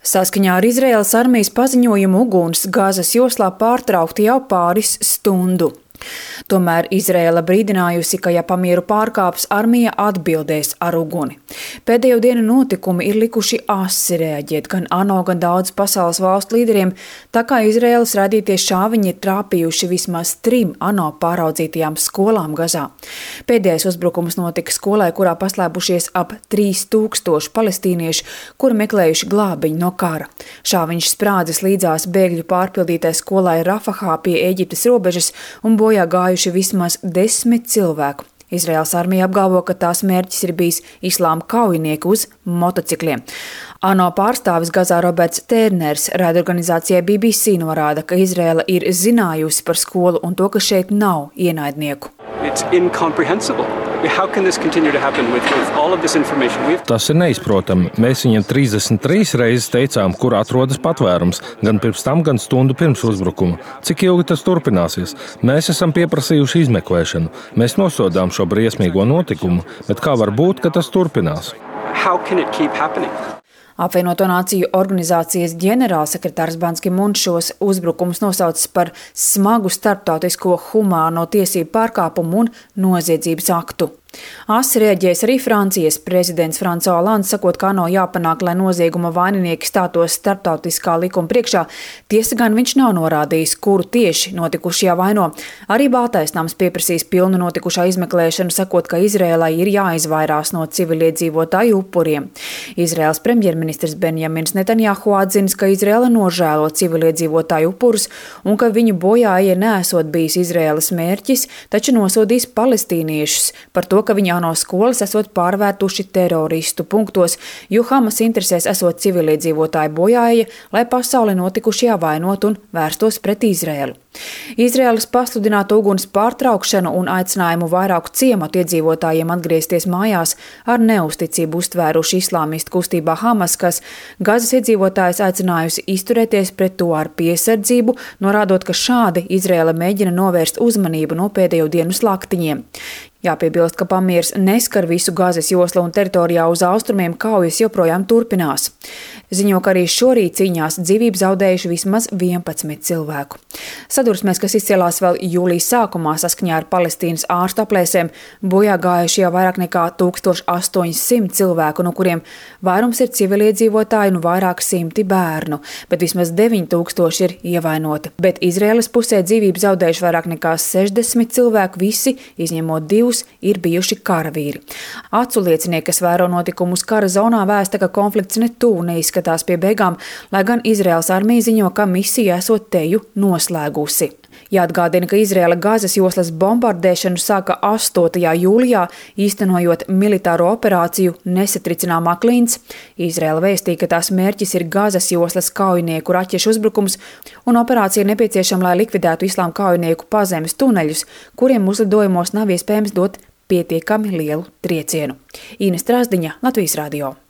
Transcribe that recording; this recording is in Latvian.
Saskaņā ar Izraēlas armijas paziņojumu uguns Gazas joslā pārtraukti jau pāris stundu. Tomēr Izraēla brīdinājusi, ka ja pamieru pārkāps, armija atbildēs ar uguni. Pēdējo dienu notikumi ir likuši asi reaģēt gan ANO, gan daudz pasaules valstu līderiem, tā kā Izraēlas radītie šāviņi ir trāpījuši vismaz 3 ANO pāraudzītajām skolām Gazā. Pēdējais uzbrukums notika skolai, kurā paslēpušies ap 3000 palestīniešu, kuri meklējuši glābiņu no kara. Šāviņš sprādzis līdzās bēgļu pārpildītai skolai Rafahā pie Ēģiptes robežas un bojā gājuši vismaz 10 cilvēku. Izraēlas armija apgalvo, ka tās mērķis ir bijis islāma kaujinieki uz motocikliem. ANO pārstāvis Gazā Roberts Tērners raidorganizācijai BBC norāda, ka Izraēla ir zinājusi par skolu un to, ka šeit nav ienaidnieku. Tas ir neizprotami. Mēs viņiem 33 reizes teicām, kur atrodas patvērums, gan pirms tam, gan stundu pirms uzbrukuma. Cik ilgi tas turpināsies? Mēs esam pieprasījuši izmeklēšanu. Mēs nosodām šo briesmīgo notikumu, bet kā var būt, ka tas turpinās? Apvienoto Nāciju organizācijas ģenerālsekretārs Ban Ki-mūns šos uzbrukumus nosaucis par smagu starptautisko humāno tiesību pārkāpumu un noziedzības aktu. Asi reaģēs arī Francijas prezidents François Hollande, sakot, ka ANO jāpanāk, lai nozieguma vaininieki stātos starptautiskā likuma priekšā. Tiesa gan viņš nav norādījis, kuru tieši notikušajā vaino. Arī Baltais nams pieprasīs pilnu notikušā izmeklēšanu, sakot, ka Izraēlai ir jāizvairās no civiliedzīvotāju upuriem. Izraēlas premjerministrs Benjamins Netanjahu atzinis, ka Izraēla nožēlo civiliedzīvotāju upurus un ka viņu bojāja nesot bijis Izraēlas mērķis, taču nosodīs palestīniešus par to, ka viņa ANO skolas esot pārvērtuši teroristu punktos, jo Hamas interesēs esot civiliedzīvotāju bojāja, lai pasauli notikušajā vainot un vērstos pret Izraēlu. Izraēlas pasludinātu uguns pārtraukšanu un aicinājumu vairāku ciematu iedzīvotājiem atgriezties mājās ar neusticību uztvēruši islāmistu kustībā Hamas, kas Gazas iedzīvotājus aicinājusi izturēties pret to ar piesardzību, norādot, ka šādi Izraēla mēģina novērst uzmanību no pēdējo dienu slaktiņiem. Jāpiebilst, ka pamiers neskar visu Gazas joslu un teritorijā uz austrumiem kaujas joprojām turpinās. Ziņo, ka arī šorīt cīņās dzīvību zaudējuši vismaz 11 cilvēku. Sadursmēs, kas izcēlās vēl jūlijas sākumā saskaņā ar Palestīnas ārstu aplēsēm, bojā gājuši jau vairāk nekā 1800 cilvēku, no kuriem vairums ir civiliedzīvotāji un vairāk simti bērnu, bet vismaz 9000 ir ievainoti. Bet Izraēlas pusē dzīvību zaudējuši vairāk nekā 60 cilvēku, visi, izņemot 2, ir bijuši karavīri. Acu liecinieki, kas vēro notikumus kara zonā, vēsta, ka konflikts netuvu neizskatās pie beigām, lai gan Izraēlas armija ziņo, ka misija esot teju noslēgusi. Jāatgādina, ka Izraēla Gazas joslas bombardēšanu sāka 8. jūlijā, īstenojot militāro operāciju Nesatricināmā klints. Izraēla vēstīja, ka tās mērķis ir Gazas joslas kaujinieku raķešu uzbrukums, un operācija ir nepieciešama, lai likvidētu islāma kaujinieku pazemes tuneļus, kuriem uzlidojumos nav iespējams dot pietiekami lielu triecienu. Ines Trāsdiņa, Latvijas radio.